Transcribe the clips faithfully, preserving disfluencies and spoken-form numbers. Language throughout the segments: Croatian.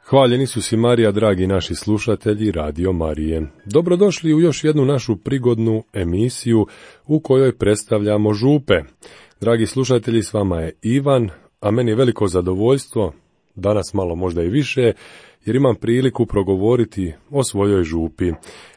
Hvaljeni su si Marija, dragi naši slušatelji Radio Marije. Dobrodošli u još jednu našu prigodnu emisiju u kojoj predstavljamo župe. Dragi slušatelji, s vama je Ivan, a meni je veliko zadovoljstvo, danas malo možda i više, jer imam priliku progovoriti o svojoj župi.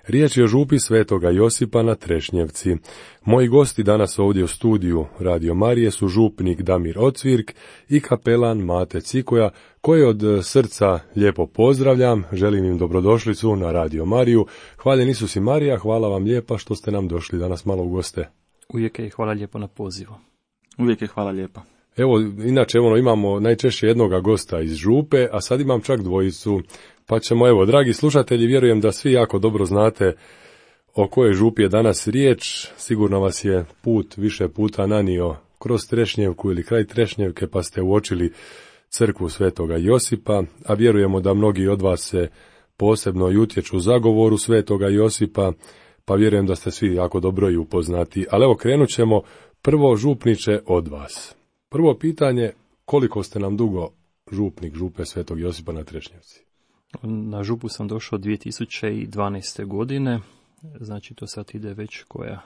Riječ je o župi Svetoga Josipa na Trešnjevci. Moji gosti danas ovdje u studiju Radio Marije su župnik Damir Ocvirk i kapelan Mate Cikoja, koje od srca lijepo pozdravljam, želim im dobrodošlicu na Radio Mariju. Hvaljeni su si Marija, hvala vam lijepa što ste nam došli danas malo u goste. Uvijek je hvala lijepo na pozivu. Uvijek je hvala lijepa. Evo, inače ono, imamo najčešće jednoga gosta iz župe, a sad imam čak dvojicu, pa ćemo, evo, dragi slušatelji, vjerujem da svi jako dobro znate o kojoj župi je danas riječ. Sigurno vas je put više puta nanio kroz Trešnjevku ili kraj Trešnjevke, pa ste uočili crkvu Svetoga Josipa, a vjerujemo da mnogi od vas se posebno i utječu u zagovoru Svetoga Josipa, pa vjerujem da ste svi jako dobro i upoznati. Ali evo, krenut ćemo prvo, župniče, od vas. Prvo pitanje, koliko ste nam dugo župnik župe Svetog Josipa na Trešnjevci? Na župu sam došao dvije tisuće dvanaeste. godine, znači to sad ide već koja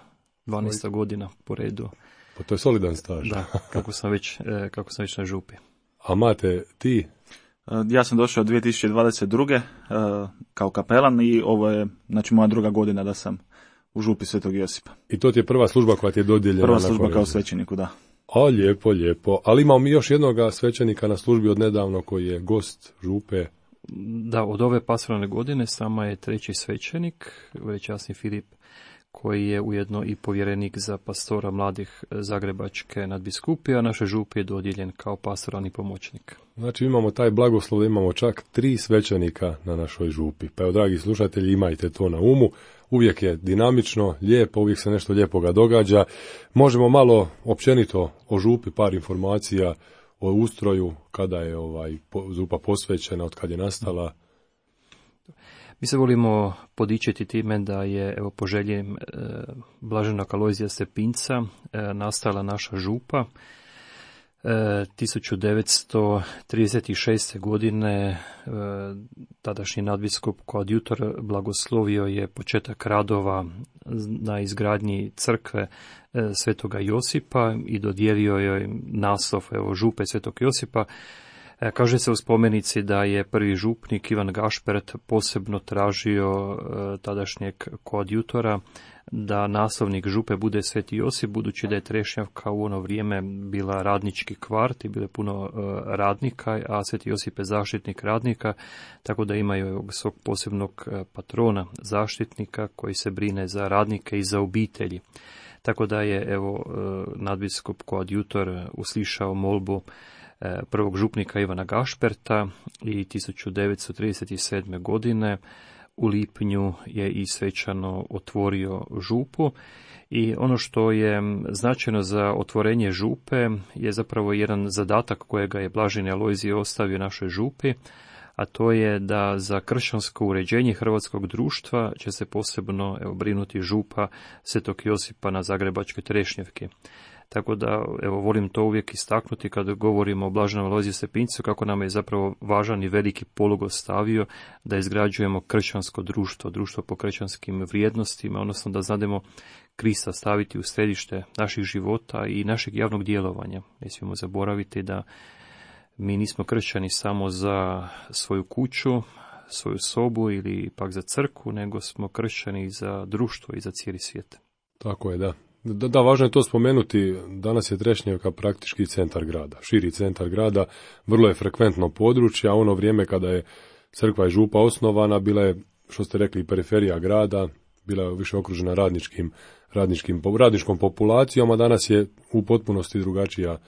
dvanaesta godina po redu. Pa to je solidan staž. Da, kako sam već, kako sam već na župi. A Mate, ti? Ja sam došao dvije tisuće dvadeset druge. kao kapelan i ovo je, znači, moja druga godina da sam u župi Svetog Josipa. I to ti je prva služba koja ti je dodijeljena? Prva služba kao svećeniku, da. A, lijepo, lijepo. Ali imamo mi još jednoga svećenika na službi od nedavno koji je gost župe. Da, od ove pastoralne godine sama je treći svećenik, velečasni Filip, koji je ujedno i povjerenik za pastora mladih Zagrebačke nadbiskupije, a naše župi je dodijeljen kao pastoralni pomoćnik. Znači imamo taj blagoslov da imamo čak tri svećenika na našoj župi. Pa evo, dragi slušatelji, imajte to na umu. Uvijek je dinamično, lijepo, uvijek se nešto lijepoga događa. Možemo malo općenito o župi, par informacija o ustroju, kada je ovaj župa posvećena, od kad je nastala. Mi se volimo podičiti time da je, evo, po želji e, blaženog Alojzija Stepinca e, nastala naša župa. E, tisuću devetsto trideset šeste. godine e, tadašnji nadbiskup koadjutor blagoslovio je početak radova na izgradnji crkve e, Svetoga Josipa i dodijelio joj naslov, evo, župe Svetog Josipa. E, kaže se u spomenici da je prvi župnik Ivan Gašpert posebno tražio e, tadašnjeg koadjutora da naslovnik župe bude Sveti Josip, budući da je Trešnjevka u ono vrijeme bila radnički kvart i bilo je puno e, radnika, a Sveti Josip je zaštitnik radnika, tako da imaju svog posebnog patrona, zaštitnika koji se brine za radnike i za obitelji. Tako da je, evo, e, nadbiskup koadjutor uslišao molbu prvog župnika Ivana Gašperta i tisuću devetsto trideset sedme. godine u lipnju je i svečano otvorio župu. I ono što je značajno za otvorenje župe je zapravo jedan zadatak kojega je blaženi Alojzij ostavio našoj župi, a to je da za kršćansko uređenje hrvatskog društva će se posebno, evo, brinuti župa Svetog Josipa na Zagrebačkoj Trešnjevki. Tako da, evo, volim to uvijek istaknuti kada govorimo o blaženom Alojziju Stepincu, kako nam je zapravo važan i veliki polog ostavio da izgrađujemo kršćansko društvo, društvo po kršćanskim vrijednostima, odnosno da znademo Krista staviti u središte naših života i našeg javnog djelovanja. Ne smijemo zaboraviti da mi nismo kršćani samo za svoju kuću, svoju sobu ili pak za crkvu, nego smo kršćani za društvo i za cijeli svijet. Tako je, da. Da, da, važno je to spomenuti, danas je Trešnjevka praktički centar grada, širi centar grada, vrlo je frekventno područje, a ono vrijeme kada je crkva i župa osnovana, bila je, što ste rekli, periferija grada, bila je više okružena radničkim, radničkim, radničkom populacijom, a danas je u potpunosti drugačija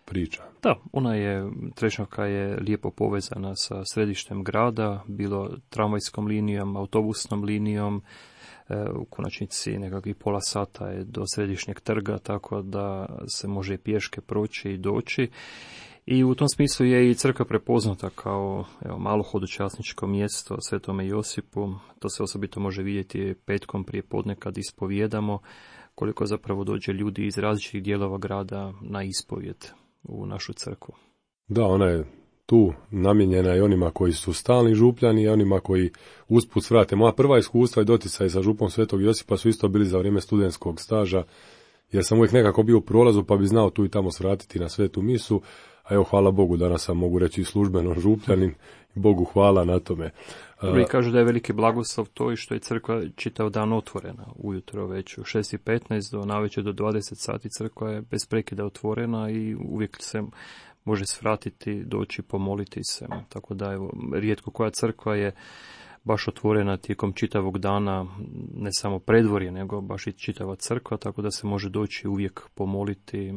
priča. Da, ona je, Trešnjevka je lijepo povezana sa središtem grada, bilo tramvajskom linijom, autobusnom linijom, u konačnici nekakvih pola sata je do središnjeg trga, tako da se može pješke proći i doći. I u tom smislu je i crkva prepoznata kao, evo, malo hodočasničko mjesto Svetome Josipu. To se osobito može vidjeti petkom prije podne kad ispovijedamo, koliko zapravo dođe ljudi iz različitih dijelova grada na ispovjed u našu crkvu. Da, ona je tu namijenjena i onima koji su stalni župljani i onima koji usput svrate. Moja prva iskustva i doticaj sa župom Svetog Josipa su isto bili za vrijeme studentskog staža, jer sam uvijek nekako bio u prolazu pa bi znao tu i tamo svratiti na svetu misu, a evo hvala Bogu danas sam mogu reći i službeno župljanin, Bogu hvala na tome. I kažu da je veliki blagoslov to i što je crkva čitav dan otvorena, ujutro već u šest i petnaest do navečer do dvadeset sati crkva je bez prekida otvorena i uvijek se može svratiti, doći, pomoliti se. Tako da evo, rijetko koja crkva je baš otvorena tijekom čitavog dana, ne samo predvorje, nego baš i čitava crkva, tako da se može doći uvijek pomoliti,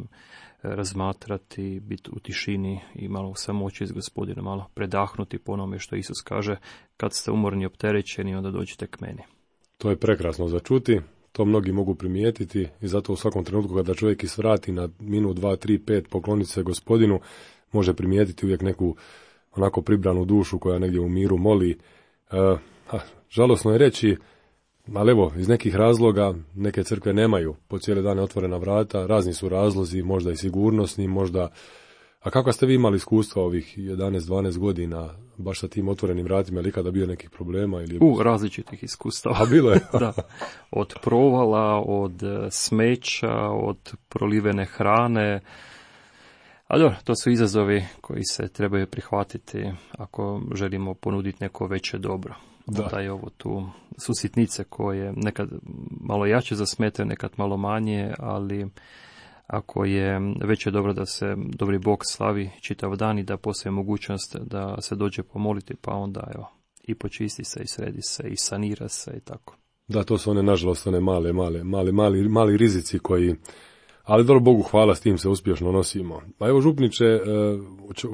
razmatrati, biti u tišini i malo samoći s Gospodinom, malo predahnuti po onome što Isus kaže, kad ste umorni i opterećeni, onda dođite k meni. To je prekrasno za čuti, to mnogi mogu primijetiti i zato u svakom trenutku kada čovjek isvrati na minut, dva, tri, pet, pokloniti se Gospodinu, može primijetiti uvijek neku onako pribranu dušu koja negdje u miru moli. E, ha, žalosno je reći, ali evo, iz nekih razloga neke crkve nemaju po cijele dane otvorena vrata, razni su razlozi, možda i sigurnosni, možda... A kako ste vi imali iskustva ovih jedanaest dvanaest godina baš sa tim otvorenim vratima, ili kada bio nekih problema? Ili... U, različitih iskustava. A bilo je? Da, od provala, od smeća, od prolivene hrane. A dobro, to su izazovi koji se trebaju prihvatiti ako želimo ponuditi neko veće dobro. Da. Da je ovo tu su sitnice koje nekad malo jače zasmetaju, nekad malo manje, ali ako je veće dobro da se dobri Bog slavi čitav dan i da postoji mogućnost da se dođe pomoliti, pa onda evo, i počisti se i sredi se i sanira se i tako. Da, to su one nažalost one male, male, male, mali, mali rizici koji, ali dobro Bogu hvala, s tim se uspješno nosimo. A evo župniče,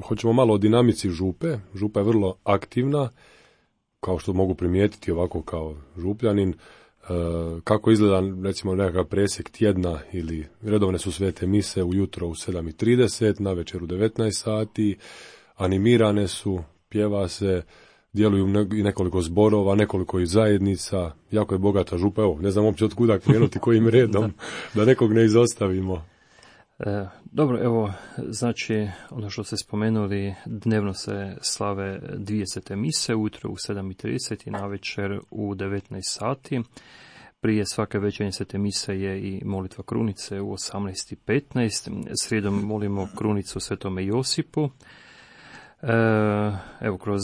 hoćemo malo o dinamici župe. Župa je vrlo aktivna, kao što mogu primijetiti ovako kao župljanin. Kako izgleda recimo nekakav presjek tjedna ili redovne su svete mise ujutro u sedam i trideset, na večer u devetnaest sati, animirane su, pjeva se, djeluju i nekoliko zborova, nekoliko i zajednica, jako je bogata župa, evo, ne znam uopće od kuda krenuti, kojim redom, da. da nekog ne izostavimo. E, dobro, evo, znači, ono što ste spomenuli, dnevno se slave dvije svete mise, ujutro u sedam i trideset i navečer u devetnaest sati. Prije svake večernje svete mise je i molitva krunice u osamnaest i petnaest. Srijedom molimo krunicu svetome Josipu. E, evo, kroz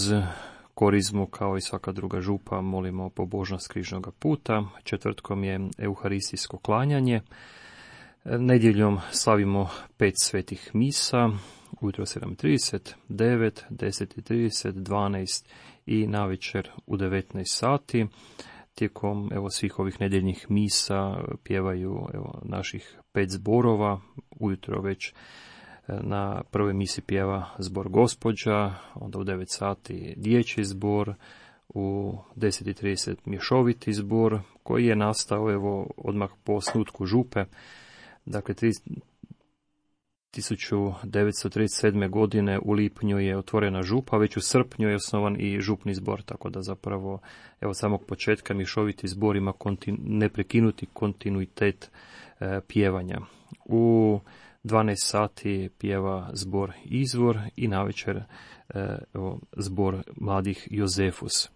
korizmu, kao i svaka druga župa, molimo pobožnost križnog puta. Četvrtkom je euharistijsko klanjanje. Nedjeljom slavimo pet svetih misa, ujutro sedam i trideset, devet, deset i trideset, dvanaest i navečer u devetnaest sati. Tijekom evo, svih ovih nedjeljnih misa pjevaju evo, naših pet zborova, ujutro već na prvoj misi pjeva zbor Gospođa, onda u devet sati dječji zbor, u deset i trideset mješoviti zbor koji je nastao evo, odmah po osnutku župe. Dakle, tisuću devetsto trideset sedme. godine u lipnju je otvorena župa, već u srpnju je osnovan i župni zbor, tako da zapravo evo samog početka mješoviti zbor ima kontinu, neprekinuti kontinuitet e, pjevanja. U dvanaest sati pjeva zbor Izvor i navečer e, evo, zbor mladih Jozefus.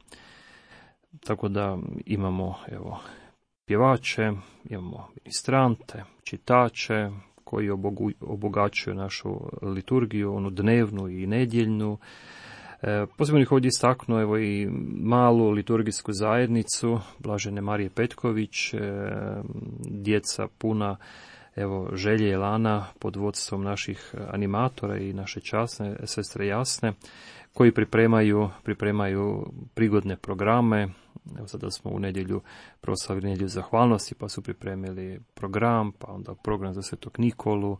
Tako da imamo evo, pjevače, imamo ministrante, čitače koji obogaćuju našu liturgiju, onu dnevnu i nedjeljnu. E, posebno ih ovdje istaknuo evo i malu liturgijsku zajednicu Blažene Marije Petković, e, djeca puna evo želje i elana pod vodstvom naših animatora i naše časne sestre Jasne, koji pripremaju, pripremaju prigodne programe. Evo sada smo u nedjelju proslavili nedjelju zahvalnosti, pa su pripremili program, pa onda program za Svetog Nikolu,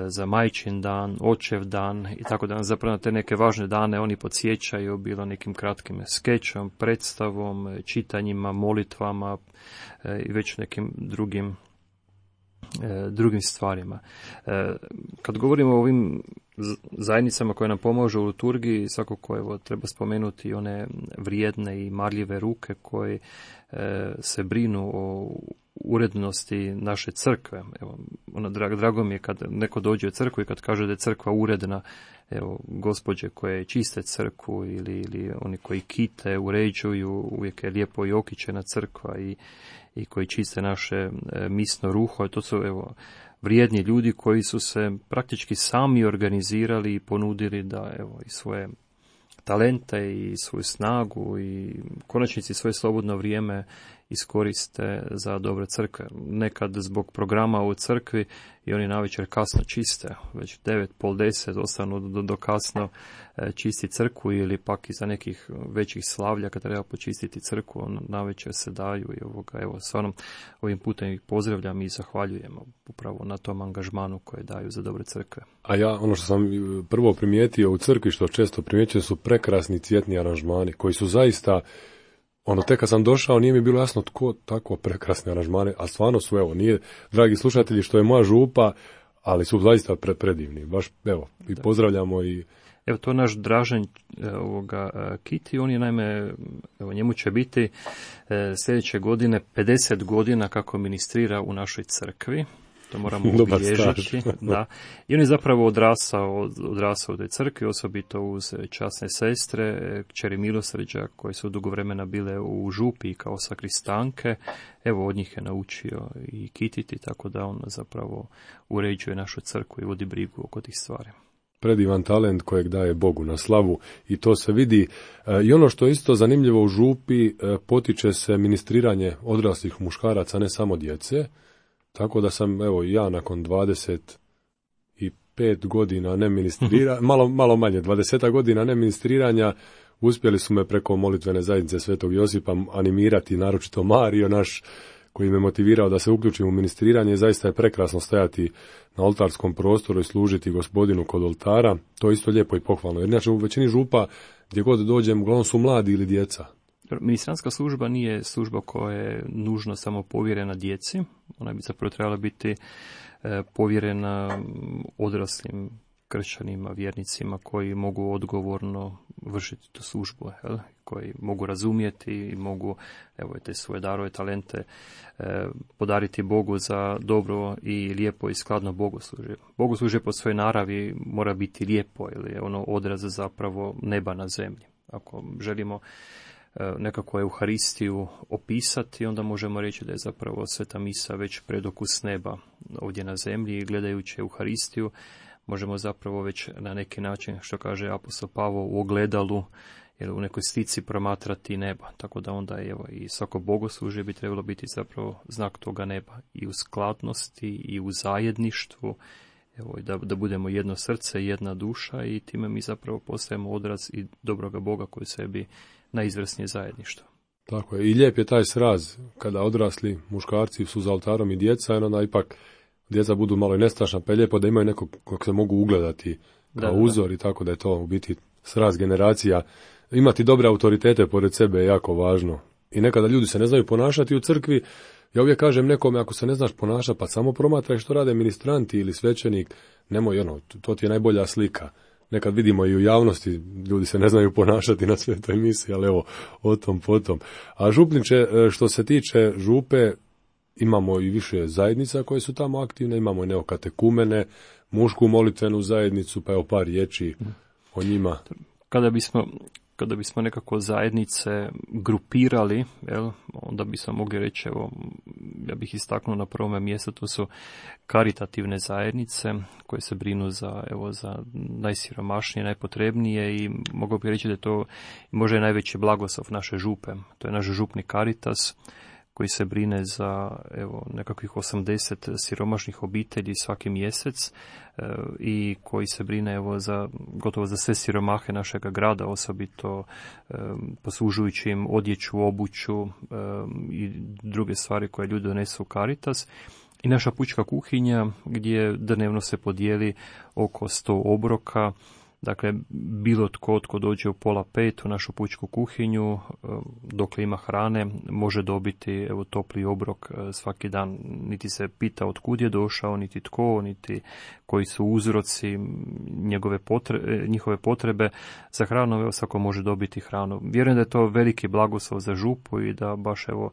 za Majčin dan, Očev dan i tako da. Zapravo na te neke važne dane oni podsjećaju, bilo nekim kratkim skečom, predstavom, čitanjima, molitvama i već nekim drugim drugim stvarima. Kad govorimo o ovim zajednicama koje nam pomažu u liturgiji, svakako evo treba spomenuti one vrijedne i marljive ruke koje se brinu o urednosti naše crkve. Evo, ono, drago, drago mi je kad neko dođe u crkvu i kad kaže da je crkva uredna, evo, gospođe koje čiste crkvu ili, ili oni koji kite, uređuju, uvijek je lijepo i okićena crkva i, i koji čiste naše e, misno ruho. To su, evo, vrijedni ljudi koji su se praktički sami organizirali i ponudili da, evo, i svoje talente i svoju snagu i konačnici svoje slobodno vrijeme iskoriste za dobre crkve. Nekad zbog programa u crkvi i oni navečer kasno čiste, već devet, pol deset ostanu do, do kasno čisti crkvu ili pak iza nekih većih slavlja kad treba počistiti crkvu, on navečer se daju i ovoga, evo, stvarno ovim putem ih pozdravljam i zahvaljujemo upravo na tom angažmanu koje daju za dobre crkve. A ja, ono što sam prvo primijetio u crkvi, što često primjećujem, su prekrasni cvjetni aranžmani koji su zaista, ono, tek kad sam došao nije mi bilo jasno tko tako prekrasne aranžmane, a stvarno su, evo, nije, dragi slušatelji, što je moja župa, ali su zaista pre, predivni, baš, evo, i pozdravljamo i... Evo, to naš Dražen ovoga Kiti, on je, naime, evo, njemu će biti e, sljedeće godine pedeset godina kako ministrira u našoj crkvi. To moramo obilježiti. Da. I on je zapravo odrasao, odrasao u toj crkvi, osobito uz časne sestre, kćeri milosrđa, koje su dugo vremena bile u župi kao sakristanke. Evo, od njih je naučio i kititi, tako da on zapravo uređuje našu crkvu i vodi brigu oko tih stvari. Predivan talent kojeg daje Bogu na slavu i to se vidi. I ono što je isto zanimljivo u župi, potiče se ministriranje odraslih muškaraca, ne samo djece. Tako da sam, evo, ja nakon dvadeset pet godina ne ministriranja, malo, malo manje, dvadeset godina ne ministriranja, uspjeli su me preko molitvene zajednice Svetog Josipa animirati, naročito Mario naš, koji me motivirao da se uključim u ministriranje. Zaista je prekrasno stajati na oltarskom prostoru i služiti Gospodinu kod oltara. To je isto lijepo i pohvalno. Jer inače u većini župa gdje god dođem, uglavnom su mladi ili djeca. Ministranska služba nije služba koja je nužno samo povjerena djeci. Ona bi zapravo trebala biti povjerena odraslim kršćanima, vjernicima koji mogu odgovorno vršiti tu službu, jel? Koji mogu razumjeti i mogu, evo, te svoje darove, talente eh, podariti Bogu za dobro i lijepo i skladno bogoslužje. Bogoslužje po svojoj naravi mora biti lijepo, ili je ono odraz zapravo neba na zemlji. Ako želimo eh, nekako Euharistiju opisati, onda možemo reći da je zapravo Sveta Misa već predokus neba ovdje na zemlji i gledajući Euharistiju možemo zapravo već na neki način, što kaže apostol Pavao, u ogledalu ili u nekoj slici promatrati neba. Tako da onda, evo, i svako bogoslužje bi trebalo biti zapravo znak toga neba. I u skladnosti, i u zajedništvu, evo, da, da budemo jedno srce, jedna duša i time mi zapravo postajemo odraz i dobroga Boga koji sebi najizvrsnije zajedništvo. Tako je. I lijep je taj sraz kada odrasli muškarci su za oltarom i djeca, i onda ipak djeca budu malo i nestašna, pa je lijepo da imaju nekog kog se mogu ugledati kao da, uzor da. I tako da je to u biti sraz generacija. Imati dobre autoritete pored sebe je jako važno. I nekada ljudi se ne znaju ponašati u crkvi. Ja uvijek kažem nekome, ako se ne znaš ponašati, pa samo promatraj što rade ministranti ili svećenik, nemoj, ono, to ti je najbolja slika. Nekad vidimo i u javnosti, ljudi se ne znaju ponašati na svetoj misi, ali evo, o tom potom. A župniče, što se tiče župe, imamo i više zajednica koje su tamo aktivne, imamo i neokatekumene, mušku molitvenu zajednicu, pa evo par riječi o njima. Kada bismo, kada bismo nekako zajednice grupirali, jel, onda bismo mogli reći, evo, ja bih istaknuo na prvome mjestu, to su karitativne zajednice koje se brinu za, evo, za najsiromašnije, najpotrebnije i mogu bih reći da je to možda je najveći blagoslov naše župe. To je naš župni Caritas, koji se brine za, evo, nekakvih osamdeset siromašnih obitelji svaki mjesec e, i koji se brine, evo, za, gotovo za sve siromahe našega grada, osobito e, poslužujući im odjeću, obuću e, i druge stvari koje ljudi donesu u Caritas. I naša pučka kuhinja gdje dnevno se podijeli oko sto obroka. Dakle, bilo tko tko dođe u pola pet u našu pučku kuhinju, dok ima hrane, može dobiti, evo, topli obrok svaki dan. Niti se pita od kud je došao, niti tko, niti koji su uzroci njegove potrebe, njihove potrebe za hranu. Evo, svako može dobiti hranu. Vjerujem da je to veliki blagoslov za župu i da baš, evo,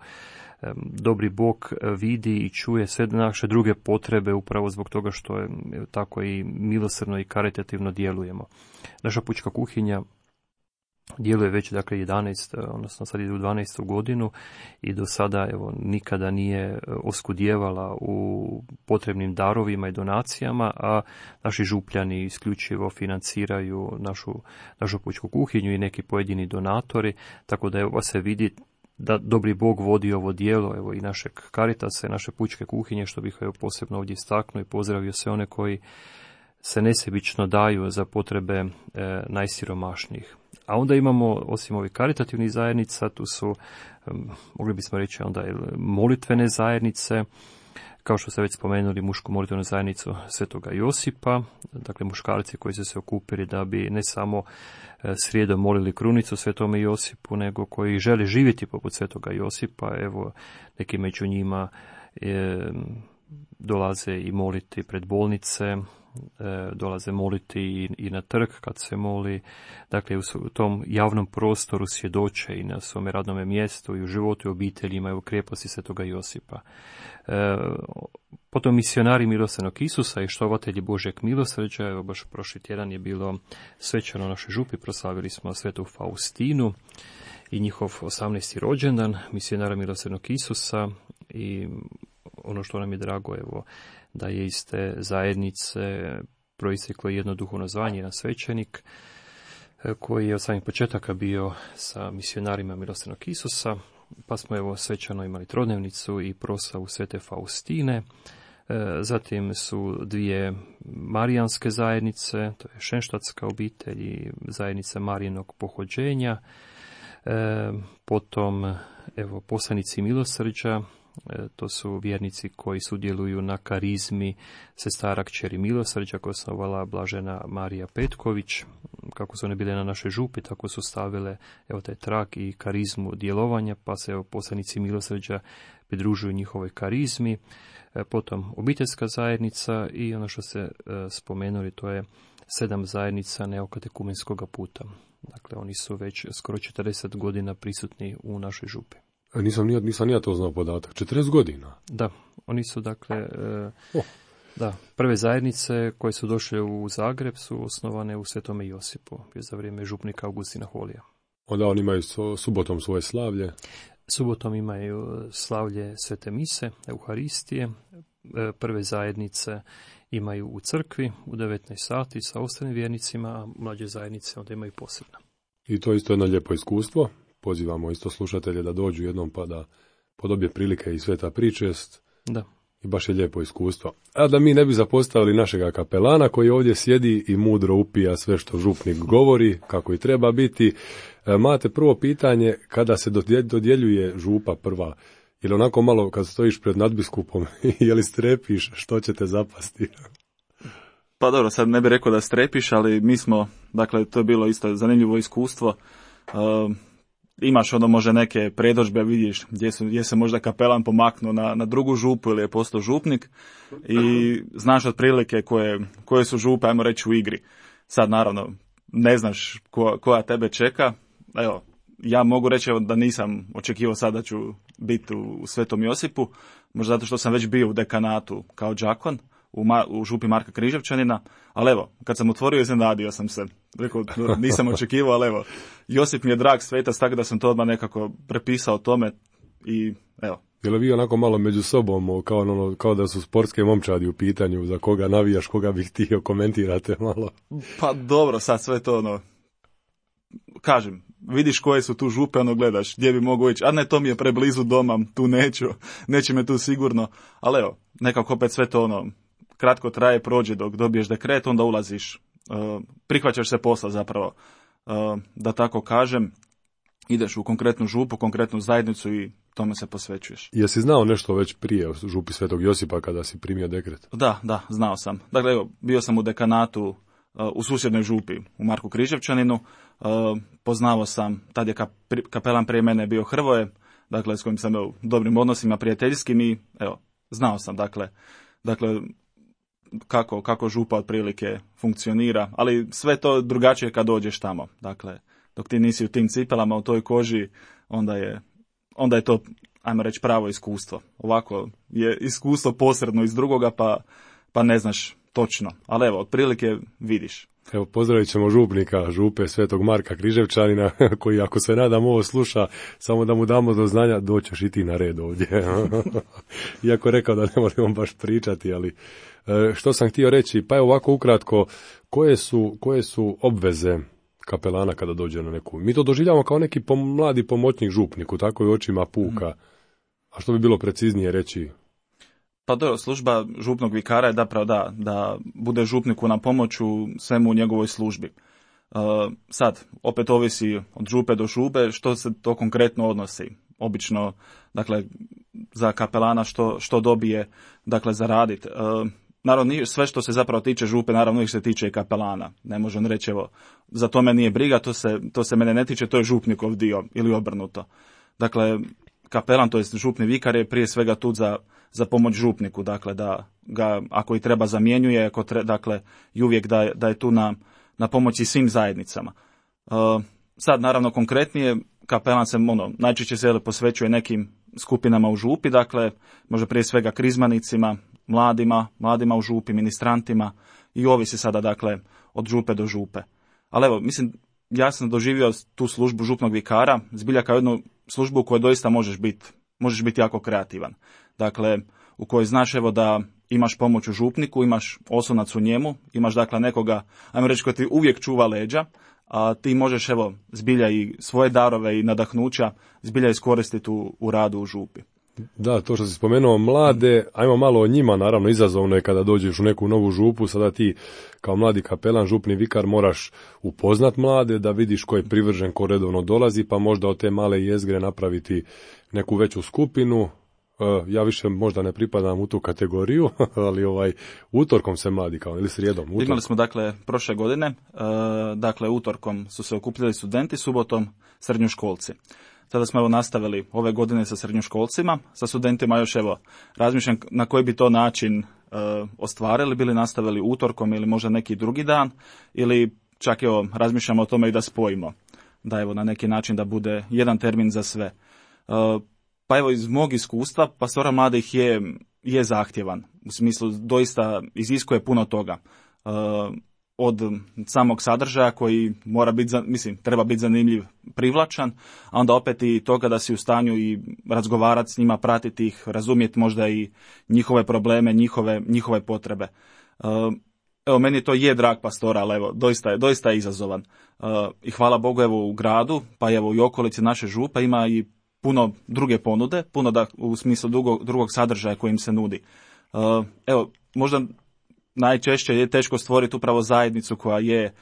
dobri Bog vidi i čuje sve naše druge potrebe upravo zbog toga što je tako i milosrdno i karitativno djelujemo. Naša pučka kuhinja djeluje već dakle jedanaest, odnosno sad ide u dvanaestu godinu i do sada evo nikada nije oskudjevala u potrebnim darovima i donacijama, a naši župljani isključivo financiraju našu, našu pučku kuhinju i neki pojedini donatori, tako da evo se vidi da dobri Bog vodi ovo djelo, evo i našeg Caritasa, naše pučke kuhinje, što bih evo posebno ovdje istaknuo i pozdravio sve one koji se nesebično daju za potrebe e, najsiromašnijih. A onda imamo, osim ovih karitativnih zajednica, tu su, um, mogli bismo reći onda, molitvene zajednice, kao što ste već spomenuli, mušku molitvenu zajednicu Svetoga Josipa, dakle muškarci koji su se okupili da bi ne samo srijedom molili krunicu Svetome Josipu, nego koji žele živjeti poput Svetoga Josipa. Evo, neki među njima je, dolaze i moliti pred bolnice, dolaze moliti i, i na trg kad se moli, dakle u tom javnom prostoru svjedoče i na svome radnome mjestu i u životu i obiteljima i u krijeposti Svetoga Josipa. E, potom misionari milosrdnog Isusa i štovatelji Božeg milosrđa, evo baš prošli tjedan je bilo svečano u našoj župi, proslavili smo svetu Faustinu i njihov osamnaesti rođendan misionara milosrdnog Isusa i ono što nam je drago, evo, da je iz te zajednice proisteklo jedno duhovno zvanje, jedan svećenik koji je od samih početaka bio sa misionarima milosrdnog Isusa, pa smo evo svečano imali trodnevnicu i proslavu svete Faustine. Zatim su dvije marijanske zajednice, to je šenštatska obitelj i zajednica Marijinog pohođenja. Potom evo poslanici milosrđa, to su vjernici koji sudjeluju na karizmi sestara kćeri milosrđa koja je osnovala blažena Marija Petković. Kako su one bile na našoj župi, tako su stavile evo taj trag i karizmu djelovanja, pa se evo poslanici milosrđa pridružuju njihovoj karizmi. Potom obiteljska zajednica i ono što ste spomenuli, to je sedam zajednica neokatekumenskoga puta. Dakle, oni su već skoro četrdeset godina prisutni u našoj župi. Nisam, nisam ja to znao podatak. četrdeset godina? Da, oni su dakle, e, oh. da, prve zajednice koje su došle u Zagreb su osnovane u Svetome Josipu, za vrijeme župnika Augustina Holija. Onda oni imaju subotom svoje slavlje? Subotom imaju slavlje Svete Mise, Euharistije, prve zajednice imaju u crkvi u devetnaest sati sa ostalim vjernicima, a mlađe zajednice onda imaju posebno. I to je isto jedno lijepo iskustvo. Pozivamo isto slušatelje da dođu jednom pa da podobje prilike i sveta pričest. Da. I baš je lijepo iskustvo. A da mi ne bi zapostavili našega kapelana koji ovdje sjedi i mudro upija sve što župnik govori, kako i treba biti. Mate prvo pitanje, kada se dodjeljuje župa prva, ili onako malo kad stojiš pred nadbiskupom, je li strepiš što će te zapasti? Pa dobro, sad ne bih rekao da strepiš, ali mi smo, dakle, to je bilo isto zanimljivo iskustvo. Uh, imaš ono može neke predodžbe, vidiš gdje, su, gdje se možda kapelan pomaknuo na, na drugu župu ili je postao župnik i znaš otprilike koje, koje su župe, ajmo reći, u igri. Sad naravno ne znaš ko, koja tebe čeka. Evo, ja mogu reći da nisam očekivao sad da ću biti u, u Svetom Josipu, možda zato što sam već bio u dekanatu kao đakon u, Ma, u župi Marka Križevčanina, ali evo, kad sam otvorio iznenadio sam se. Rekao, nisam očekivao, ali evo, Josip mi je drag svetac, tako da sam to odmah nekako prepisao tome i evo. Je li vi onako malo među sobom, kao, ono, kao da su sportske momčadi u pitanju, za koga navijaš, koga bih htio, komentirate malo? Pa dobro, sad sve to ono, kažem, vidiš koje su tu župe, ono gledaš, gdje bi mogu ići, a ne, to mi je preblizu doma, tu neću, neće me tu sigurno, ali evo, nekako opet sve to ono, kratko traje, prođe dok dobiješ dekret, onda ulaziš, uh, prihvaćaš se posla zapravo, uh, da tako kažem, ideš u konkretnu župu, konkretnu zajednicu i tome se posvećuješ. Jesi znao nešto već prije o župi Svetog Josipa kada si primio dekret? Da, da, znao sam. Dakle, evo, bio sam u dekanatu uh, u susjednoj župi, u Marku Križevčaninu, uh, poznavao sam, tad je kap, kapelan prije mene bio Hrvoje, dakle, s kojim sam u dobrim odnosima, prijateljskim i, evo, znao sam, dakle, dakle, kako, kako župa otprilike funkcionira, ali sve to drugačije kad dođeš tamo. Dakle, dok ti nisi u tim cipelama, u toj koži, onda je, onda je to, ajmo reći, pravo iskustvo. Ovako je iskustvo posredno iz drugoga, pa, pa ne znaš točno. Ali evo, otprilike vidiš. Evo, pozdravit ćemo župnika, župe Svetog Marka Križevčanina, koji ako se nadam ovo sluša, samo da mu damo do znanja, doćeš i ti na red ovdje. Iako je rekao da ne možemo baš pričati, ali što sam htio reći, pa je ovako ukratko, koje su, koje su obveze kapelana kada dođe na neku? Mi to doživljamo kao neki pom, mladi pomoćnik župniku, tako i očima puka. A što bi bilo preciznije reći? Pa dobro, služba župnog vikara je zapravo da, da bude župniku na pomoć u svemu u njegovoj službi. Uh, sad, opet ovisi od župe do župe što se to konkretno odnosi. Obično, dakle, za kapelana što, što dobije, dakle, za radit. Uh, naravno, sve što se zapravo tiče župe, naravno ih se tiče i kapelana. Ne može on reći, evo, za to me nije briga, to se, to se mene ne tiče, to je župnikov dio ili obrnuto. Dakle, kapelan, to jest župni vikar, je prije svega tu za, za pomoć župniku, dakle da ga ako i treba zamjenjuje, ako tre, dakle i uvijek da je, da je tu na, na pomoći svim zajednicama. Uh, sad naravno konkretnije, kapelan se ono, najčešće se posvećuje nekim skupinama u župi, dakle možda prije svega krizmanicima, mladima, mladima u župi, ministrantima i ovisi sada dakle od župe do župe. Ali evo, mislim, ja sam doživio tu službu župnog vikara, zbilja kao jednu službu u kojoj doista možeš biti, možeš biti jako kreativan. Dakle, u kojoj znaš evo da imaš pomoć u župniku, imaš oslonac u njemu, imaš dakle nekoga, ajmo reći, koji ti uvijek čuva leđa, a ti možeš evo zbilja i svoje darove i nadahnuća zbilja iskoristiti u, u radu u župi. Da, to što si spomenuo mlade, ajmo malo o njima, naravno izazovno je kada dođeš u neku novu župu, sada ti kao mladi kapelan, župni vikar moraš upoznat mlade, da vidiš ko je privržen, ko redovno dolazi, pa možda od te male jezgre napraviti neku veću skupinu. Ja više možda ne pripadam u tu kategoriju, ali ovaj utorkom se mladi kao, ili srijedom. Utorkom. Imali smo dakle prošle godine, dakle utorkom su se okupljali studenti, subotom srednjoškolci. Sada smo evo nastavili ove godine sa srednjoškolcima, sa studentima još evo razmišljam na koji bi to način e, ostvarili, bili nastavili utorkom ili možda neki drugi dan, ili čak evo razmišljamo o tome i da spojimo, da evo na neki način da bude jedan termin za sve. E, pa evo iz mog iskustva, pastora mladih je, je zahtjevan, u smislu doista iziskuje puno toga. E, od samog sadržaja koji mora biti, mislim, treba biti zanimljiv, privlačan, a onda opet i toga da si u stanju i razgovarati s njima, pratiti ih, razumjeti možda i njihove probleme, njihove, njihove potrebe. Evo, meni to je drag pastora, ali evo, doista je, doista je izazovan. I hvala Bogu, evo, u gradu, pa evo i okolici naše župe ima i puno druge ponude, puno da, u smislu drugog, drugog sadržaja koji im se nudi. Evo, možda najčešće je teško stvoriti upravo zajednicu koja je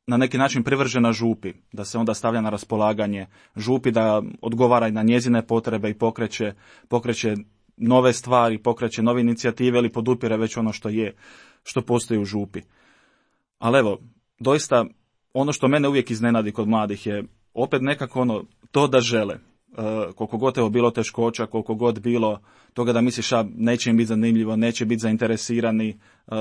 na neki način privržena župi, da se onda stavlja na raspolaganje župi, da odgovara i na njezine potrebe i pokreće, pokreće nove stvari, pokreće nove inicijative ili podupire već ono što je, što postoji u župi. Ali evo, doista ono što mene uvijek iznenadi kod mladih je opet nekako ono, to da žele. Uh, koliko god evo bilo teškoća, koliko god bilo toga da misliš a neće im biti zanimljivo, neće biti zainteresirani, uh,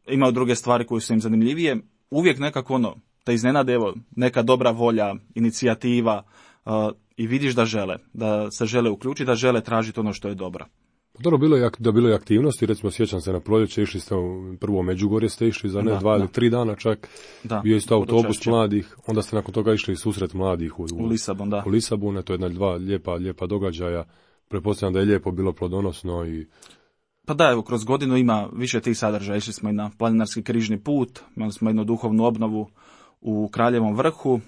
imaju druge stvari koje su im zanimljivije, uvijek nekako ono, te iznenade evo neka dobra volja, inicijativa uh, i vidiš da žele, da se žele uključiti, da žele tražiti ono što je dobro. Dobro, bilo je, da bilo je aktivnosti, recimo sjećam se na proljeće, išli ste u prvo Međugorje, ste išli za ne da, dva da. ili tri dana čak, da, bio isto autobus mladih, onda ste nakon toga išli susret mladih u, u, u Lisabon, da. U Lisabon, to je jedna dva lijepa, lijepa događaja, pretpostavljam da je lijepo bilo plodonosno i... Pa da, evo, kroz godinu ima više tih sadržaja, išli smo i na planinarski križni put, imali smo jednu duhovnu obnovu u Kraljevom vrhu,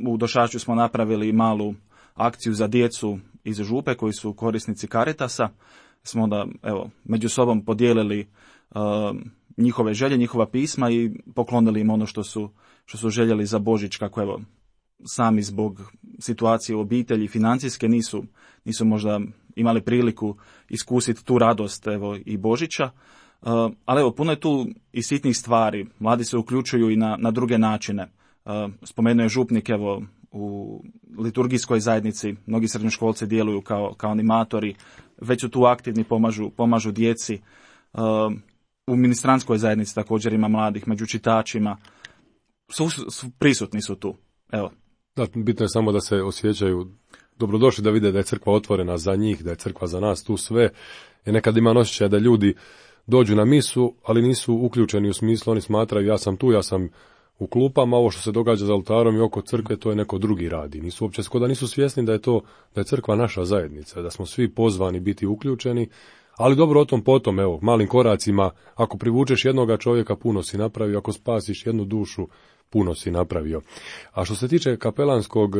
u Došaču smo napravili malu akciju za djecu iz župe koji su korisnici Caritasa, smo onda evo među sobom podijelili uh, njihove želje, njihova pisma i poklonili im ono što su što su željeli za Božić, kako evo sami zbog situacije u obitelji financijske nisu nisu možda imali priliku iskusiti tu radost evo i Božića. Uh, ali evo puno je tu i sitnih stvari. Mladi se uključuju i na na druge načine. Uh, spomenuo je župnik evo u liturgijskoj zajednici, mnogi srednjoškolci djeluju kao, kao animatori, već su tu aktivni, pomažu, pomažu djeci. Uh, u ministranskoj zajednici također ima mladih, među čitačima, su, su, prisutni su tu. Evo. Da, bitno je samo da se osjećaju dobrodošli da vide da je crkva otvorena za njih, da je crkva za nas tu sve. Jer nekad ima osjećaj da ljudi dođu na misu, ali nisu uključeni u smislu, oni smatraju ja sam tu, ja sam u klupama, ovo što se događa za oltarom i oko crkve, to je neko drugi radi. Nisu uopće skoda nisu svjesni da je to, da je crkva naša zajednica, da smo svi pozvani biti uključeni, ali dobro o tom potom, evo, malim koracima, ako privučeš jednoga čovjeka, puno si napravio, ako spasiš jednu dušu, puno si napravio. A što se tiče kapelanskog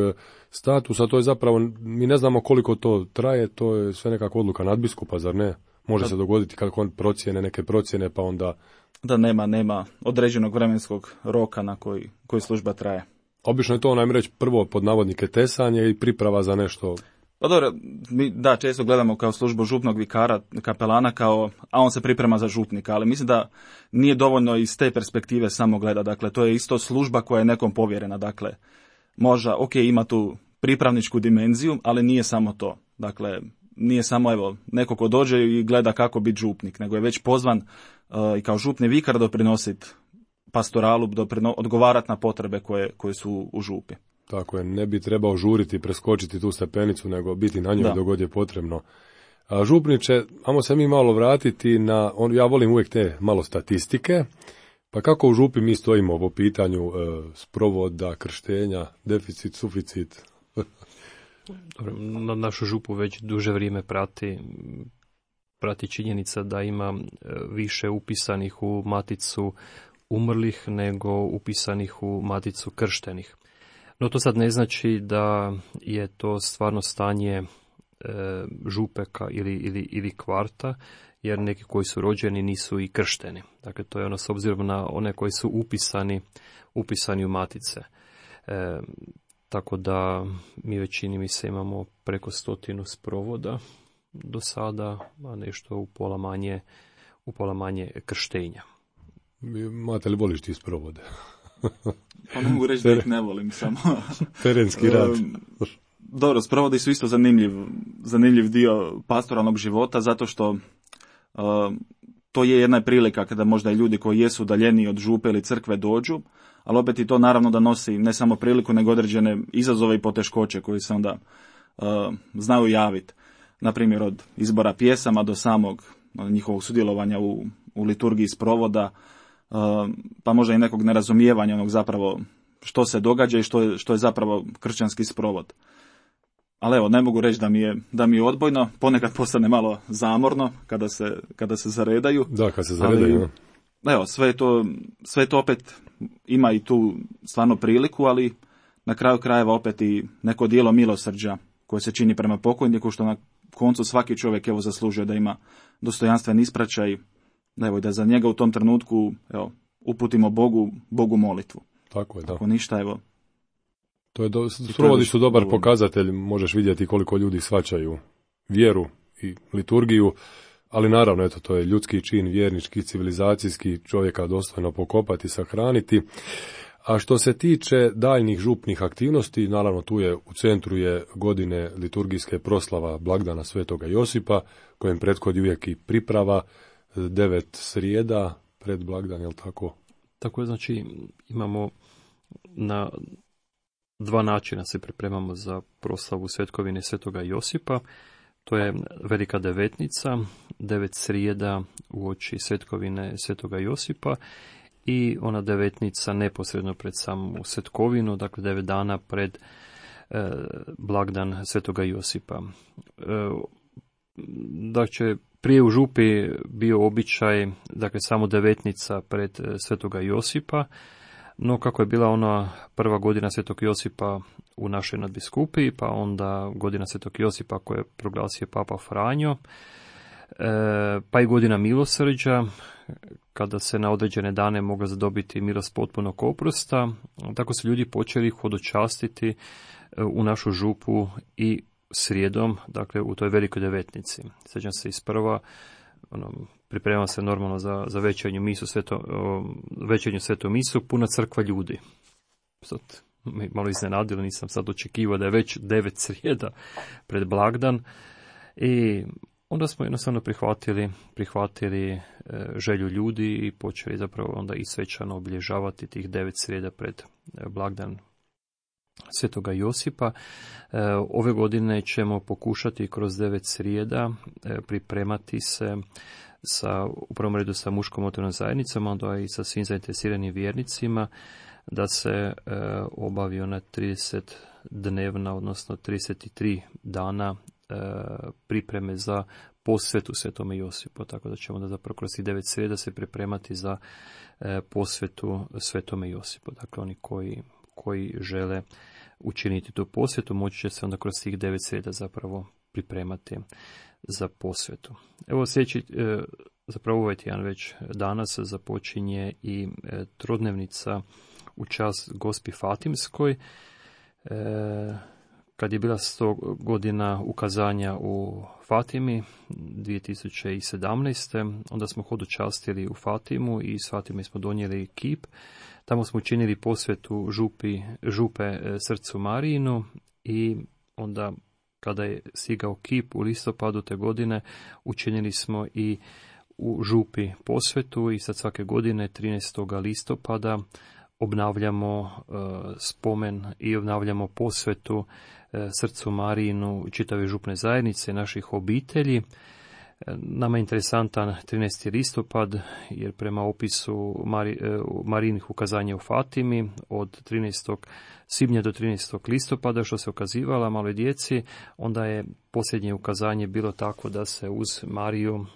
statusa, to je zapravo, mi ne znamo koliko to traje, to je sve nekako odluka nadbiskupa, zar ne? Može da se dogoditi kako on procjene, neke procjene, pa onda... Da nema, nema određenog vremenskog roka na koji, koji služba traje. Obično je to, najme reći, prvo pod navodnike tesanje i priprava za nešto... Pa dobro, mi da često gledamo kao službu župnog vikara, kapelana, kao, a on se priprema za župnika, ali mislim da nije dovoljno iz te perspektive samo gleda. Dakle, to je isto služba koja je nekom povjerena. Dakle, možda, ok, ima tu pripravničku dimenziju, ali nije samo to. Dakle, nije samo evo neko ko dođe i gleda kako biti župnik, nego je već pozvan uh, i kao župni vikar doprinositi pastoralu, doprino, odgovarati na potrebe koje, koje su u župi. Tako je, ne bi trebao žuriti, preskočiti tu stepenicu, nego biti na njoj dok god je potrebno. A župniče, ajmo se mi malo vratiti na, on, ja volim uvijek te malo statistike, pa kako u župi mi stojimo po pitanju e, sprovoda, krštenja, deficit, suficit? Dobro, na našu župu već duže vrijeme prati, prati činjenica da ima više upisanih u maticu umrlih nego upisanih u maticu krštenih. No to sad ne znači da je to stvarno stanje e, župeka ili, ili, ili kvarta, jer neki koji su rođeni nisu i kršteni. Dakle, to je ono s obzirom na one koji su upisani, upisani u matice. E, tako da mi većini mi se imamo preko stotinu sprovoda do sada, a nešto u pola manje, u pola manje krštenja. Mate li voliš ti sprovode? Pa mogu reći da ih ne volim samo. Terenski rad. Dobro, sprovodi su isto zanimljiv, zanimljiv dio pastoralnog života, zato što uh, to je jedna prilika kada možda i ljudi koji jesu udaljeniji od župe ili crkve dođu, ali opet i to naravno da nosi ne samo priliku, nego određene izazove i poteškoće koji se onda uh, znaju javiti. Naprimjer, od izbora pjesama do samog njihovog sudjelovanja u, u liturgiji sprovoda, Uh, pa možda i nekog nerazumijevanja onog zapravo što se događa i što je, što je zapravo kršćanski sprovod. Ali evo, ne mogu reći da mi je, da mi je odbojno, ponekad postane malo zamorno kada se, kada se zaredaju. Da, kad se zaredaju. Ali, evo, sve to, sve to opet ima i tu stvarno priliku, ali na kraju krajeva opet i neko dijelo milosrđa koje se čini prema pokojniku, što na koncu svaki čovjek evo zaslužuje da ima dostojanstven ispraćaj. Evo, da za njega u tom trenutku evo, uputimo Bogu, Bogu molitvu. Tako je, da. Ako ništa, evo. To je do, sprovodi su dobar dovoljno. Pokazatelj, možeš vidjeti koliko ljudi shvaćaju vjeru i liturgiju, ali naravno, eto, to je ljudski čin, vjernički, civilizacijski, čovjeka dostojno pokopati, sahraniti. A što se tiče daljnjih župnih aktivnosti, naravno tu je u centru je godine liturgijske proslava blagdana Svetoga Josipa, kojem prethodi uvijek i priprava, devet srijeda pred blagdan, je li tako? Tako je, znači imamo na dva načina se pripremamo za proslavu svetkovine Svetoga Josipa. To je Velika devetnica, devet srijeda uoči svetkovine Svetoga Josipa i ona devetnica neposredno pred samu svetkovinu, dakle devet dana pred e, blagdan Svetoga Josipa. E, dakle, prije u župi bio običaj, dakle samo devetnica pred Svetoga Josipa, no kako je bila ona prva godina Svetog Josipa u našoj nadbiskupiji, pa onda godina Svetog Josipa koje je proglasio Papa Franjo, pa i godina milosrđa, kada se na određene dane mogla zadobiti milost potpunog oprosta, tako su ljudi počeli hodočastiti u našu župu i srijedom, dakle u toj velikoj devetnici. Sjećam se isprva, ono, pripremam se normalno za, za večernju misu, sveto, večernju svetu misu, puna crkva ljudi. Sad, me malo iznenadilo, nisam sad očekivao da je već devet srijeda pred blagdan. I onda smo jednostavno prihvatili, prihvatili e, želju ljudi i počeli zapravo onda i svečano obilježavati tih devet srijeda pred e, blagdan Svetoga Josipa. Ove godine ćemo pokušati kroz devet srijeda pripremati se sa, u prvom redu sa muškom motornom zajednicom, onda i sa svim zainteresiranim vjernicima, da se e, obavi ona trideset dnevna, odnosno trideset tri dana e, pripreme za posvetu Svetome Josipu, tako da ćemo da zapravo kroz devet srijeda se pripremati za e, posvetu Svetome Josipu. Dakle, oni koji, koji žele učiniti tu posvetu, moći će se onda kroz tih devet srijeda zapravo pripremati za posvetu. Evo sljedeći, e, zapravo ovaj tjedan već danas započinje i e, trodnevnica u čast Gospi Fatimskoj. E, kad je bila sto godina ukazanja u Fatimi dvije tisuće sedamnaeste. onda smo hodočastili u Fatimu i s Fatime smo donijeli kip. Tamo smo učinili posvetu župi, župe srcu Marijinu i onda kada je stigao kip u listopadu te godine, učinili smo i u župi posvetu i sad svake godine trinaestog listopada obnavljamo uh, spomen i obnavljamo posvetu uh, srcu Marijinu čitave župne zajednice, naših obitelji. Nama je interesantan trinaesti listopad, jer prema opisu Mari, Marijinih ukazanja u Fatimi od trinaestog svibnja do trinaestog listopada, što se ukazivala maloj djeci, onda je posljednje ukazanje bilo tako da se uz Mariju uh,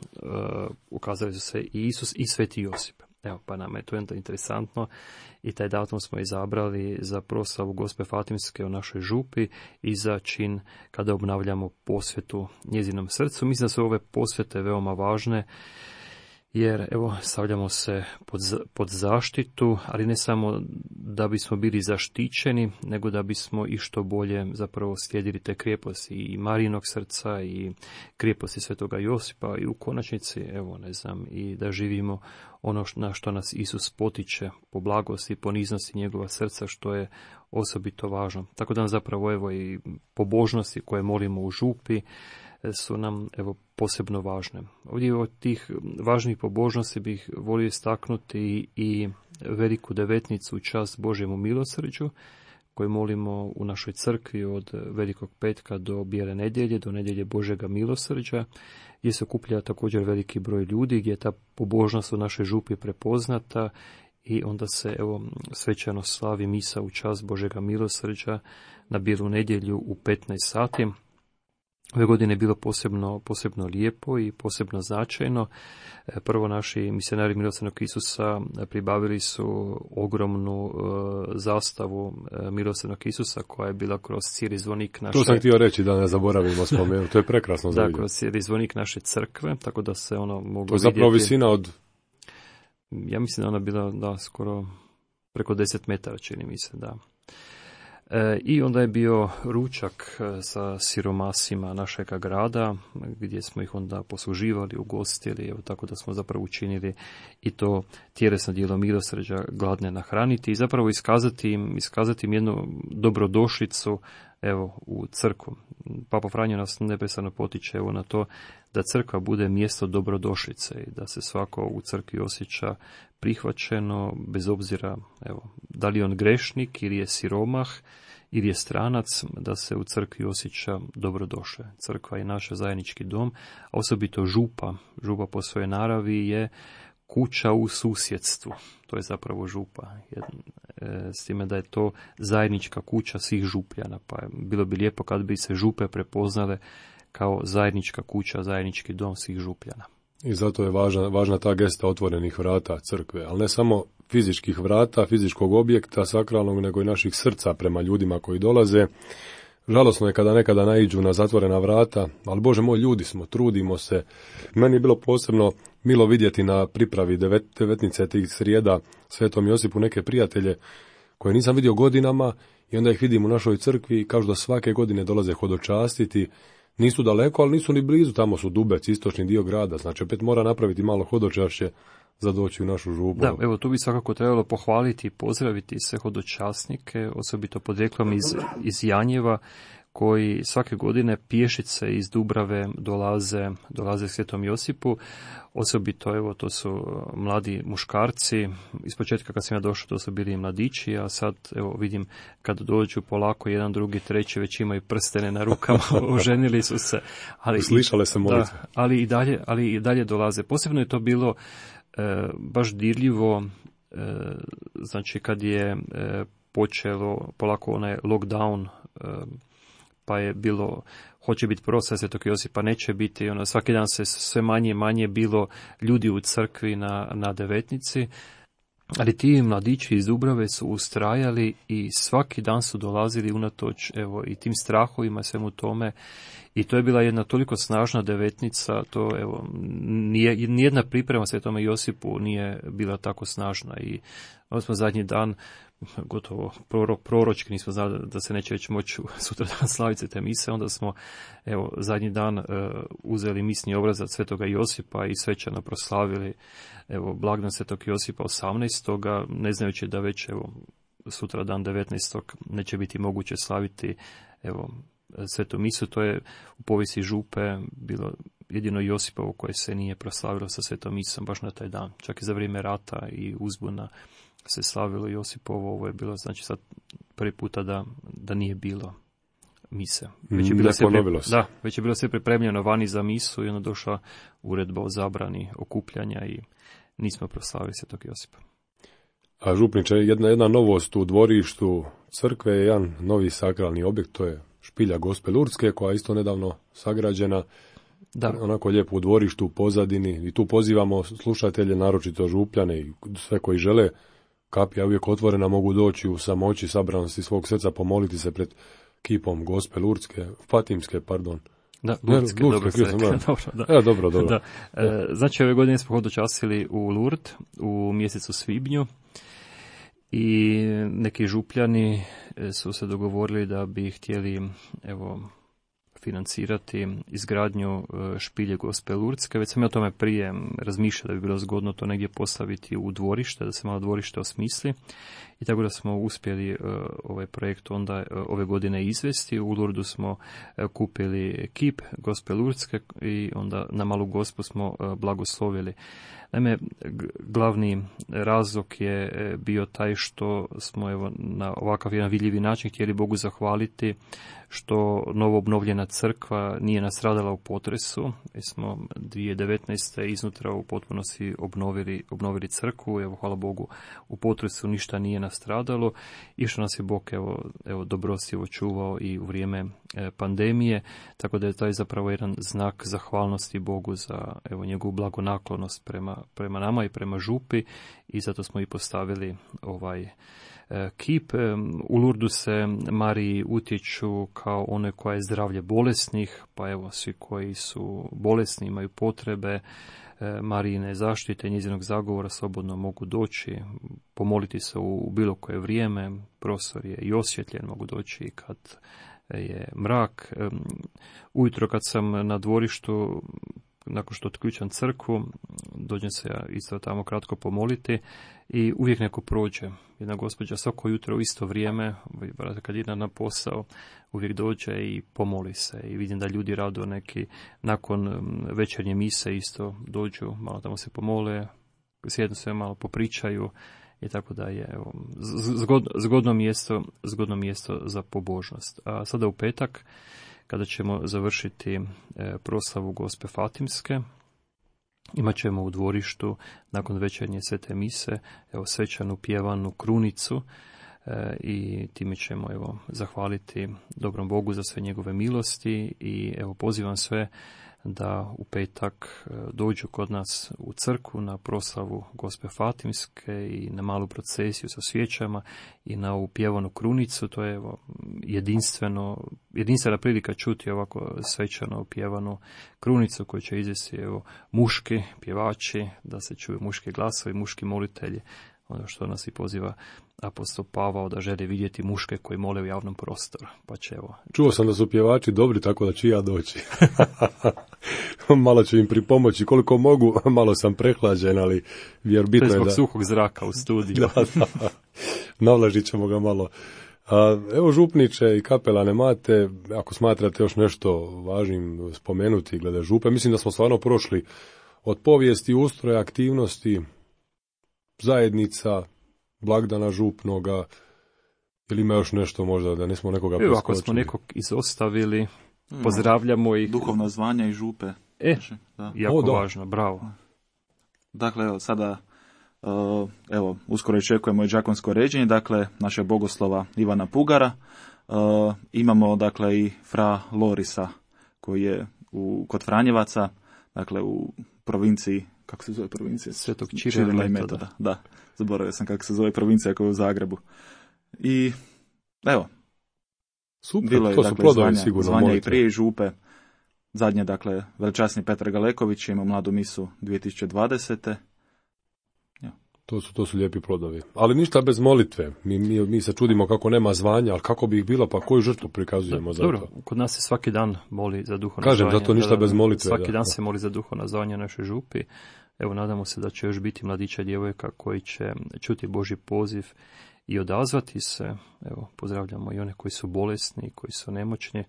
ukazali su se i Isus i Sveti Josip. Evo, pa nam je to interesantno i taj datum smo izabrali za proslavu Gospe Fatimske u našoj župi i za čin kada obnavljamo posvetu njezinom srcu. Mislim da su ove posvete veoma važne, jer evo stavljamo se pod, pod zaštitu, ali ne samo da bismo bili zaštićeni, nego da bismo i što bolje zapravo slijedili te krijeposti i Marijinog srca i krijeposti Svetoga Josipa i u konačnici, evo ne znam, i da živimo ono na što nas Isus potiče po blagosti i poniznosti njegova srca, što je osobito važno. Tako da nam zapravo evo i pobožnosti koje molimo u župi su nam evo posebno važne. Ovdje od tih važnih pobožnosti bih volio istaknuti i veliku devetnicu u čast Božjemu milosrđu, koju molimo u našoj crkvi od Velikog petka do Bijele nedjelje, do nedjelje Božjega milosrđa, gdje se okuplja također veliki broj ljudi, gdje je ta pobožnost u našoj župi prepoznata i onda se evo svečano slavi misa u čast Božjega milosrđa na Bijelu nedjelju u petnaest sati. Ove godine je bilo posebno, posebno lijepo i posebno značajno. Prvo, naši misionari milosrdnog Isusa pribavili su ogromnu uh, zastavu uh, milosrdnog Isusa koja je bila kroz cijeli zvonik naše... To sam htio reći da ne zaboravimo spomenuti, to je prekrasno za da, vidjeti. kroz cijeli zvonik naše crkve, tako da se ono moglo vidjeti... To je zapravo vidjeti. Visina od... Ja mislim da ona bila da, skoro preko deset metara, čini mi se, da. I onda je bio ručak sa siromasima našega grada, gdje smo ih onda posluživali, ugostili, evo tako da smo zapravo učinili i to tjelesno djelo milosrđa, gladne nahraniti i zapravo iskazati im, iskazati im jednu dobrodošlicu evo u crkvu. Papa Franjo nas neprestano potiče evo na to da crkva bude mjesto dobrodošlice i da se svako u crkvi osjeća prihvaćeno, bez obzira evo, da li je on grešnik ili je siromah ili je stranac, da se u crkvi osjeća dobrodošle. Crkva je naš zajednički dom, a osobito župa. Župa po svojoj naravi je kuća u susjedstvu. To je zapravo župa. S time da je to zajednička kuća svih župljana. Pa bilo bi lijepo kad bi se župe prepoznale kao zajednička kuća, zajednički dom svih župljana. I zato je važna, važna ta gesta otvorenih vrata crkve, ali ne samo fizičkih vrata, fizičkog objekta sakralnog, nego i naših srca prema ljudima koji dolaze. Žalosno je kada nekada naiđu na zatvorena vrata, ali Bože moj, ljudi smo, trudimo se. Meni je bilo posebno milo vidjeti na pripravi devet, devetnice tih srijeda Svetom Josipu neke prijatelje koje nisam vidio godinama i onda ih vidim u našoj crkvi i kažu da svake godine dolaze hodočastiti. Nisu daleko, ali nisu ni blizu, tamo su Dubec, istočni dio grada, znači opet mora napraviti malo hodočašće za doći u našu župu. Da, evo tu bi svakako trebalo pohvaliti i pozdraviti sve hodočasnike, osobito podrijetlom iz, iz Janjeva, koji svake godine pješice iz Dubrave dolaze, dolaze Svetom Josipu. Osobito, evo, to su mladi muškarci. Ispočetka kad sam ja došao, to su bili mladići, a sad, evo, vidim kad dođu polako jedan, drugi, treći, već imaju prstene na rukama, oženili su se. Ali, Slišale se molitve. Da, ali i dalje, ali i dalje dolaze. Posebno je to bilo e, baš dirljivo, e, znači kad je e, počelo polako onaj lockdown, e, pa je bilo, hoće biti proslav Svetog Josipa, neće biti, ono, svaki dan se sve manje i manje bilo ljudi u crkvi na, na devetnici, ali ti mladići iz Dubrave su ustrajali i svaki dan su dolazili unatoč, evo, i tim strahovima, svemu tome, i to je bila jedna toliko snažna devetnica, to, evo, nije, nijedna priprema Svetome Josipu nije bila tako snažna, i ovo smo zadnji dan gotovo prorok, proročki, nismo znali da se neće već moći sutra dan slaviti te mise, onda smo, evo, zadnji dan uh, uzeli misni obrazac Svetoga Josipa i svečano proslavili, evo, blagdan Svetog Josipa osamnaestog ne znajući da već, evo, sutra dan devetnaestog neće biti moguće slaviti, evo, Svetu misu. To je u povijesti župe bilo jedino Josipovo koje se nije proslavilo sa Svetom misom baš na taj dan. Čak i za vrijeme rata i uzbuna se slavilo Josipovo, ovo je bilo, znači, sad prvi puta da, da nije bilo mise. Već je bilo sve pri... da, već je bilo sve pripremljeno vani za misu i onda došla uredba o zabrani okupljanja i nismo proslavili Svetog Josipa. A župniče, jedna, jedna novost u dvorištu crkve je jedan novi sakralni objekt, to je špilja Gospe Lurdske, koja je isto nedavno sagrađena, da. Onako lijepo u dvorištu, u pozadini, i tu pozivamo slušatelje, naročito župljane i sve koji žele. Kapija uvijek otvorena, mogu doći u samoći, sabranosti svog srca, pomoliti se pred kipom Gospe Lurdske, Fatimske, pardon. Da, Lurdske, dobro se rekao. Dobro, da. E, dobro, dobro. Da. E, znači, ove godine smo hodočasili u Lourdes u mjesecu svibnju i neki župljani su se dogovorili da bi htjeli, evo, financirati izgradnju špilje Gospe Lurdske. Već sam ja o tome prije razmišljao da bi bilo zgodno to negdje postaviti u dvorište, da se malo dvorište osmisli. I tako da smo uspjeli uh, ovaj projekt onda uh, ove godine izvesti. U Lurdu smo uh, kupili kip Gospe Lurdske i onda na Malu Gospu smo uh, blagoslovili. Naime, glavni razlog je bio taj što smo, evo, na ovakav jedan vidljivi način htjeli Bogu zahvaliti što novo obnovljena crkva nije nastradala u potresu. Mi smo dvije tisuće devetnaeste iznutra u potpunosti obnovili, obnovili crkvu. Evo, hvala Bogu, u potresu ništa nije nastradalo i što nas je Bog, evo, evo dobrostivo čuvao i u vrijeme e, pandemije, tako da je taj zapravo jedan znak zahvalnosti Bogu za, evo, njegovu blagonaklonost prema, prema nama i prema župi, i zato smo i postavili ovaj kip. U Lurdu se Mariji utječu kao one koja je zdravlje bolesnih, pa evo, svi koji su bolesni, imaju potrebe Marijine zaštite, njezinog zagovora, slobodno mogu doći, pomoliti se u bilo koje vrijeme. Prostor je i osvjetljen, mogu doći kad je mrak. Ujutro kad sam na dvorištu, nakon što otključam crkvu, dođem se ja isto tamo kratko pomoliti i uvijek neko prođe. Jedna gospođa svako jutro u isto vrijeme, kad ide na posao, uvijek dođe i pomoli se. I vidim da ljudi rado neki nakon večernje mise isto dođu, malo tamo se pomole, sjednu se, malo popričaju i tako da je, evo, zgodno, zgodno mjesto, zgodno mjesto za pobožnost. A sada u petak, kada ćemo završiti proslavu Gospe Fatimske, imat ćemo u dvorištu nakon večernje svete mise, evo, svečanu pjevanu krunicu, e, i time ćemo, evo, zahvaliti dobrom Bogu za sve njegove milosti. I evo, pozivam sve da u petak dođu kod nas u crkvu na proslavu Gospe Fatimske i na malu procesiju sa svijećama i na ovu pjevanu krunicu. To je, evo, jedinstveno, jedinstvena prilika čuti ovako svečano pjevanu krunicu koju će izvesti, evo, muški pjevači, da se čuju muški glasovi, muški molitelji, ono što nas i poziva apostol Pavao, da želi vidjeti muške koji mole u javnom prostoru. Pa će, evo. Čuo sam da su pjevači dobri, tako da ću ja doći. Malo ću im pripomoći koliko mogu, malo sam prehlađen, ali vjer bitno je da... To je zbog suhog zraka u studiju. Da, da. Navlažit ćemo ga malo A, evo župniče i kapelane Mate, ako smatrate još nešto važnim spomenuti glede župe, mislim da smo stvarno prošli od povijesti, ustroja, aktivnosti, zajednica, blagdana župnoga, ili ima još nešto možda da nismo nekoga preskočili? Evo, ako smo nekog izostavili, pozdravljamo ih. Duhovna zvanja i župe. E, da. jako o, da. važno, bravo. Dakle, evo, sada, uh, evo, uskoro iščekujemo i đakonsko ređenje, dakle, našeg bogoslova Ivana Pugara. Uh, imamo, dakle, i fra Lorisa, koji je u, kod Franjevaca, dakle, u provinciji, kako se zove provincija? Svetog Čirila i Metoda. Da, zaboravio sam kako se zove provincija koja je u Zagrebu. I, evo, super, bilo je, to su dakle, plodovi zvanja, sigurno. zvanja molite. i prije i župe. Zadnje, dakle, veličasni Petar Galeković ima mladu misu dvije tisuće dvadesete. To su, to su lijepi plodovi. Ali ništa bez molitve. Mi, mi, mi se čudimo kako nema zvanja, ali kako bi ih bilo, pa koju žrtvu prikazujemo Da, za dobro, to? Kod nas se svaki dan moli za duhovno Kažem, zvanje. zato ništa Da, da, bez molitve, Svaki da. dan se moli za duhovno zvanje našoj župi. Evo, nadamo se da će još biti mladića i djevojka koji će čuti Božji poziv i odazvati se. Evo, pozdravljamo i one koji su bolesni, koji su nemoćni.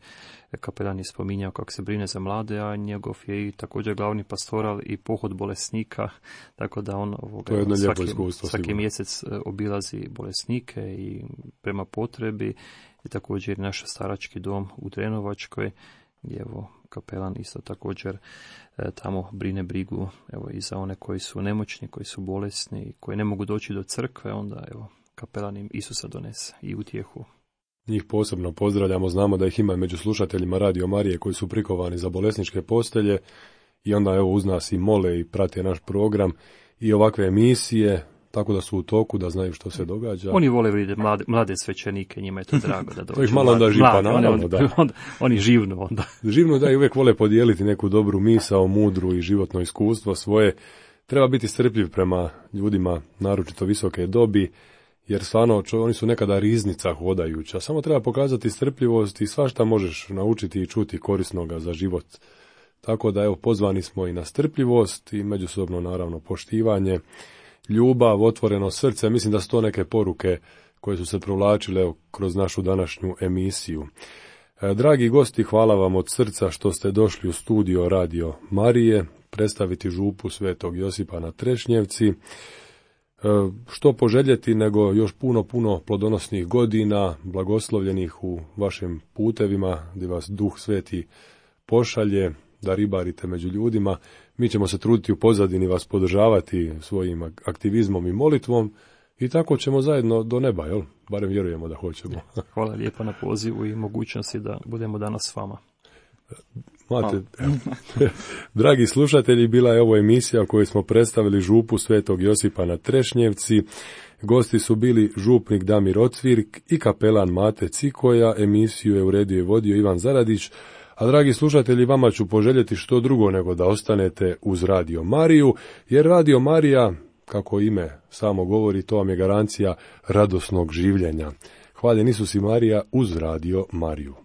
Kapelan je spominjao kako se brine za mlade, a njegov je i također glavni pastoral i pohod bolesnika, tako da on ovoga, To je jedno lijepo svaki, iskustvo, svaki sigurno. mjesec obilazi bolesnike i prema potrebi, i također naš starački dom u Drenovačkoj, gdje evo kapelan isto također e, tamo brine brigu evo i za one koji su nemoćni, koji su bolesni, koji ne mogu doći do crkve, onda evo kapelan im Isusa donese i utjehu. Njih posebno pozdravljamo, znamo da ih ima među slušateljima Radio Marije koji su prikovani za bolesničke postelje i onda evo uz nas i mole i prate naš program i ovakve emisije, tako da su u toku, da znaju što se događa. Oni vole vidjeti mlade, mlade svećenike, njima je to drago da dođu. To ih malo onda žipa, naravno, oni, da. Onda, oni živnu onda. Živno da i uvijek vole podijeliti neku dobru misao, mudru i životno iskustvo svoje. Treba biti strpljiv prema ljudima, naročito visoke dobi, jer stvarno čo, oni su nekada riznica hodajuća. Samo treba pokazati strpljivost i svašta možeš naučiti i čuti korisnoga za život. Tako da evo pozvani smo i na strpljivost i međusobno naravno poštivanje, ljubav, otvoreno srce. Mislim da su to neke poruke koje su se provlačile evo, kroz našu današnju emisiju. E, dragi gosti, hvala vam od srca što ste došli u studio Radio Marije predstaviti župu Svetog Josipa na Trešnjevci. Što poželjeti nego još puno, puno plodonosnih godina, blagoslovljenih u vašim putevima, gdje vas Duh Sveti pošalje, da ribarite među ljudima. Mi ćemo se truditi u pozadini vas podržavati svojim aktivizmom i molitvom i tako ćemo zajedno do neba, jel? Barem vjerujemo da hoćemo. Hvala lijepa na pozivu i mogućnosti da budemo danas s vama. Mate, dragi slušatelji, bila je ovo emisija u kojoj smo predstavili župu Svetog Josipa na Trešnjevci. Gosti su bili župnik Damir Ocvirk i kapelan Mate Cikoja. Emisiju je uredio i vodio Ivan Zaradić. A dragi slušatelji, vama ću poželjeti što drugo nego da ostanete uz Radio Mariju, jer Radio Marija, kako ime samo govori, to vam je garancija radosnog življenja. Hvaljen Isus i Marija uz Radio Mariju.